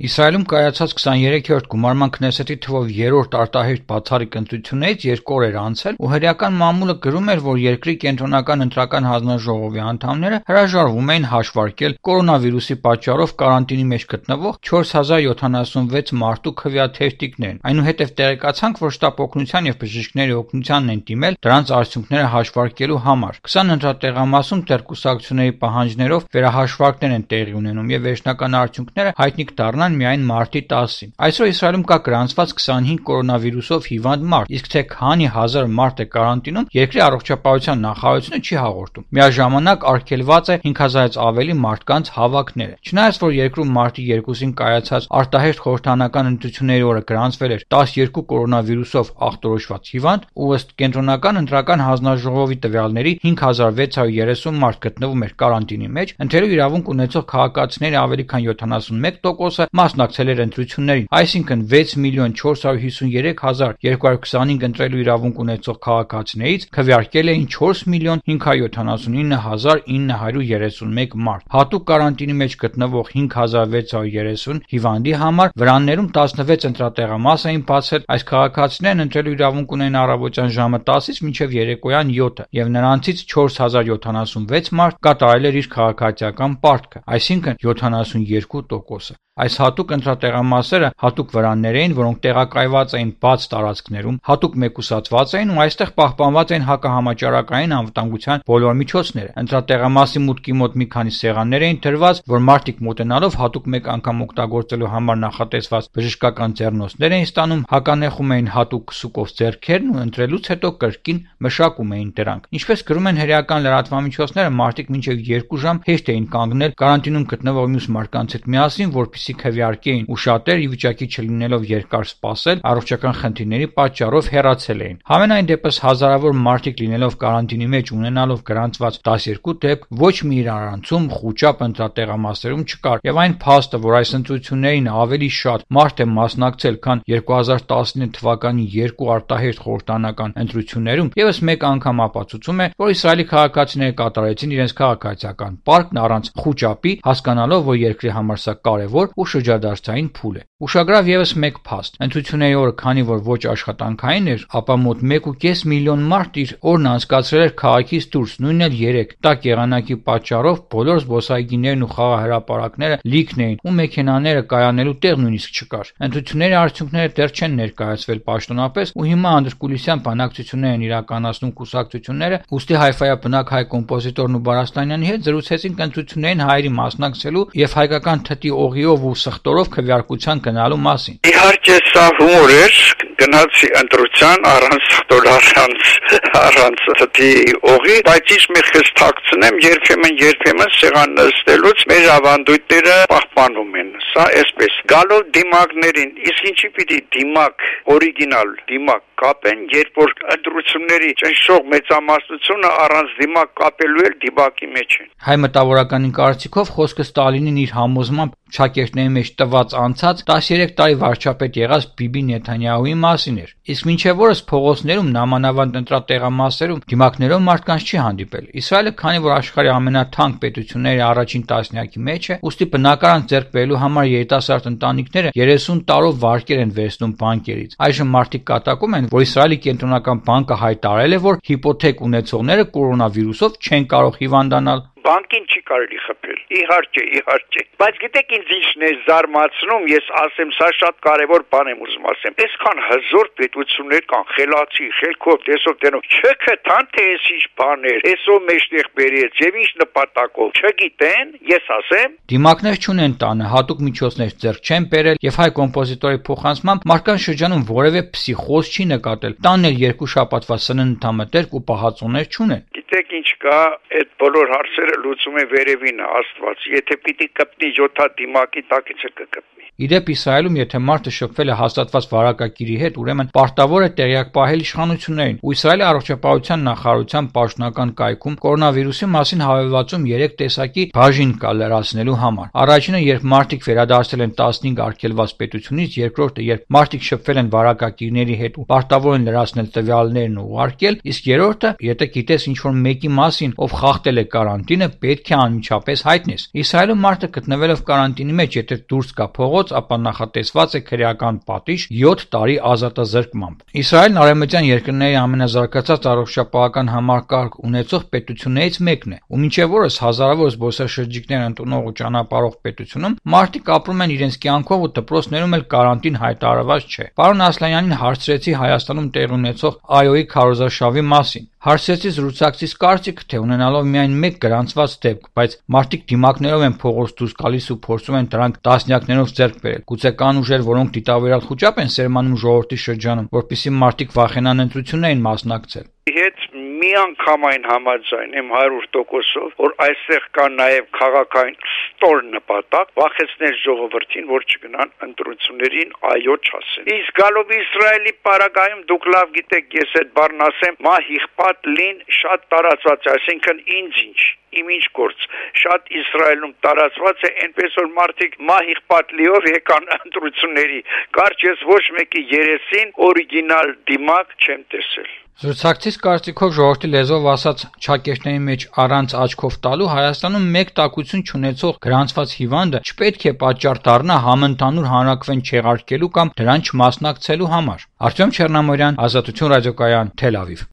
Իսրայելում կայացած 23-րդ գումարման քնեսեթի թվով երրորդ արտահերթ բացառիկ ընտրություններից 2 օր էր անցել, ու հրեական մամուլը գրում էր, որ երկրի կենտրոնական ընտրական հանձնաժողովի անդամները հրաժարվում էին հաշվարկել կորոնավիրուսի պատճառով կարանտինի մեջ գտնվող 4076 մարդու քվեաթերթիկներն։ Այնուհետև տեղեկացանք, որ շտապ օգնության և բժիշկների օգնությանն են դիմել դրանց արդյունքները հաշվարկելու համար։ 20 ընտրատեղամասում դեռ կուսակցությունների պահանջներով վերահաշվարկներ են տեղի ունենում և վերջնական արդյունքները հայտնի կդառնան միայն մարտի 10-ին։ Այսօր Իսրայելում կա գրանցված 25 կորոնավիրուսով հիվանդ մարդ, իսկ թե քանի հազար մարդ է կարանտինում, երկրի առողջապահության նախարարությունը չի հաղորդում։ Միաժամանակ արգելված է 5000-ից ավելի մարդկանց հավաքները։ Չնայած որ երկրում մարտի 2-ին կայացած արտահերթ խորհրդանական ընտրությունների օրը գրանցվել էր 12 կորոնավիրուսով ախտորոշված հիվանդ, ու ըստ կենտրոնական ընտրական հանձնաժողովի տվյալների 5630 մարդ գտնվում էր կարանտինի մեջ, ընտրելու իրավունք ունեցող քաղաքացիների ավելի քան 71% մասնակցել էր ընտրություններին, այսինքն 6,453,225 ընտրելու իրավունք ունեցող քաղաքացիներից քվեարկել էին 4,579,931 մարդ։ Հատուկ կարանտինի մեջ գտնվող 5630 հիվանդի համար վրաններում 16 ընտրատեղամաս էին բացել, այս քաղաքացիներն ընտրելու իրավունք ունեն առավոտյան ժամը 10-ից մինչև երեկոյան 7-ը, և նրանցից 4076 մարդ կատարել էր իր քաղաքացիական պարտքը, այսինքն 72%։ Այս հատուկ ընտրատեղամասերը հատուկ վրաններ էին, որոնք տեղակայված էին բաց տարածքներում, հատուկ մեկուսացված էին ու այստեղ պահպանված էին հակահամաճարակային անվտանգության բոլոր միջոցները։ Ընտրատեղամասի մուտքի մոտ մի քանի սեղաններ էին դրված, որ մարդիկ մոտենալով հատուկ մեկ անգամ օգտագործելու համար նախատեսված բժշկական ձեռնոցներ էին ստանում, հականեխում էին հատուկ քսուկով ձեռքերն ու ընտրելուց հետո կրկին մշակում էին դրանք։ Ինչպես գրում են հրեական լրատվամիջոցները, մարդիկ մինչև 2 ժամ հեշտ էին կանգնել կարանտինում գտնվող մյուս մարդկանց հետ միասին, որպեսզի քվեարկեին, ու շատեր ի վիճակի չլինելով երկար սպասել, առողջական խնդիրների պատճառով հեռացել էին։ Համենայն դեպս հազարավոր մարդիկ լինելով կարանտինի մեջ ունենալով գրանցված 12 դեպք, ոչ մի իրարանցում խուճապ ընտրատեղամասերում չկար, եւ այն փաստը, որ այս ընտրություններին ավելի շատ մարդ է մասնակցել, քան 2019 թվականի 2 արտահերթ խորհրդանական ընտրություններում, եւս մեկ անգամ ապացուցում է, որ Իսրայելի քաղաքացիները կատարեցին իրենց քաղաքացիական պարտքն առանց խուճապի, հասկանալով, որ երկրի համար սա կարևոր ու շրջադարձային փուլ է։ Ուշագրավ եւս մեկ փաստ. ընտրությունների օրը, քանի որ ոչ աշխատանքային էր, ապա մոտ 1.5 միլիոն մարդ իր օրն անցկացրել էր քաղաքից դուրս, նույնն էլ 3 տաք եղանակի պատճառով բոլոր զբոսայգիներն ու խաղահրապարակները լիքն էին, ու մեքենաները կայանելու տեղ նույնիսկ չկար։ Ընտրությունների արդյունքները դեռ չեն ներկայացվել պաշտոնապես, ու հիմա անդրկուլիսյան բանակցություններ են իրականացնում կուսակցությունները, ուստի Հայֆայա բնակ հայ կոմպոզիտորն ու Բարաստանյանի հետ զրուցեցինք ընտրություններին հայերի մասնակցելու եւ հայկական թթի օղիով ու սխտորով քվեարկության գնալու մասին։ Իհարկե սա հումոր էր, գնացի ընտրության առանց սխտոր, առանց թթի օղի, բայց ինչ մի խստակցնեմ, երբեմն սեղան նստելուց մեր ավանդույթները պահպանում են։ Սա այսպես գալով դիմակներին, իսկ ինչի պիտի դիմակ, օրիգինալ դիմակ կապեն, երբ որ ընտրությունների ճնշող մեծամասնությունը առանց դիմակ կապելու էլ դիմակի մեջ են։ Հայ մտավորականի կարծիքով խոսքը Ստալինին իր համոզմամբ շակերտների մեջ տված անցած 13 տարի վարչապետ եղած Բիբի Նեթանյահուի մասին էր։ Իսկ մինչև օրս փողոցներում նամանավանդ ընտրատեղամասերում դիմակներով մարդկանց չի հանդիպել։ Իսրայելը, քանի որ աշխարհի ամենաթանկ պետությունների առաջին տասնյակի մեջ է, ուստի բնակարան ձեռք բերելու համար երիտասարդ ընտանիքները 30 տարով վարկեր են վերցնում բանկերից։ Այժմ մարդիկ կատակում են, որ Իսրայելի կենտրոնական բանկը հայտարարել է, որ հիպոթեք ունեցողները կորոնավիրուսով չեն կարող հիվանդանալ։ Բանկին չի կարելի խփել։ Իհարկե, բայց գիտեք ինձ ինչն է զարմացնում, ես ասեմ, սա շատ կարևոր բան եմ ուզում ասեմ։ Այսքան հզոր պետություններ կան, խելացի, խելքով, տեսով տենով, չգտան թե այս ինչ բաներ, այսով մեջտեղ բերեց եւ ինչ նպատակով, չգիտեն, ես ասեմ։ Դիմակներ չունեն տանը, հատուկ միջոցներ ձեռք չեն բերել եւ հայ կոմպոզիտորի փոխանցմամբ մարդկանց շրջանում որևէ փսիխոզ չի նկատել։ Տանն էլ 2 շաբաթվա սննդամտերք ու պահածոներ չունեն։ Գիտեք ինչ կա, այդ բոլոր հարցերը լուծում է վերևին Աստված, եթե պիտի կպնի 7 դիմակի տակից կկպնի։ Իդեպ Իսրայելում, եթե մարդը շփվել է հաստատված վարակագիրի հետ, ուրեմն պարտավոր է տեղյակ պահել իշխանություններին, ու Իսրայելի առողջապահության նախարարության պաշտոնական կայքում կորոնավիրուսի մասին հավելվածում 3 տեսակի բաժին կա լրացնելու համար։ Առաջինը, երբ մարդիկ վերադարձել են 15 արգելված պետությունից, երկրորդը, երբ մարդիկ շփվել են վարակագիրների հետ ու պարտավոր են լրացնել տվյալներն ու ուղարկել, իսկ երրորդը, եթե գիտես ինչ-որ մեկի մասին, ով խախտել է կարանտինը, կարանտինը պետք է անմիջապես հայտնես։ Իսրայելում մարդը գտնվելով կարանտինի մեջ, եթե դուրս գա փողոց, ապա նախատեսված է քրեական պատիժ 7 տարի ազատազրկմամբ։ Իսրայելն արևմտյան երկրների ամենազարգացած առողջապահական համակարգ ունեցող պետություններից մեկն է, ու մինչև օրս հազարավոր զբոսաշրջիկներ ընդունող ու ճանապարհող պետությունում մարդիկ ապրում են իրենց կյանքով ու դպրոցներում էլ կարանտին հայտարարված չէ։ Պարոն Ասլանյանին հարցրեցի Հայաստանում տեղի ունեցող ԱՅՈ-ի քարոզարշավի մասին։ Հարցրեցի զրուցակցիս կարծիքը, թե ունենալով միայն մեկ գրանցված դեպք, բայց մարդիկ դիմակներով են փողոց դուրս գալիս ու փորձում են դրանք տասնյակներով ձեռք բերել։ Գուցե կան ուժեր, որոնք դիտավորյալ խուճապ են սերմանում ժողովրդի շրջանում, որպեսզի մարդիկ վախենան ընտրություններին մասնակցել։ Հետ միանգամայն համաձայն եմ 100%-ով, որ այստեղ կա նաև քաղաքային ստոր նպատակ վախեցնել ժողովրդին, որ չգնան ընտրություններին այո չասեն։ Իսկ գալով Իսրայելի պարագայում դուք լավ գիտեք, ես այդ բառն ասեմ, մահիղպատ լին շատ տարածված է, այսինքն ինձ իմ ինչ գործ, շատ Իսրայելում տարածված է, այնպես որ մարդիկ մահիղպատ լիով եկան ընտրությունների, կարճ ես ոչ մեկի երեսին օրիգինալ դիմակ չեմ տեսել։ Զրուցակցից կարծիքով ժողովրդի լեզվով ասած ճակերտների մեջ առանց աչքով տալու Հայաստանում մեկ տակություն չունեցող գրանցված հիվանդը չպետք է պատճառ դառնա համընդհանուր հանրաքվեն չեղարկելու կամ դրան չմասնակցելու համար։ Արտյոմ Չեռնամորյան, Ազատություն ռադիոկայան, Թել Ավիվ։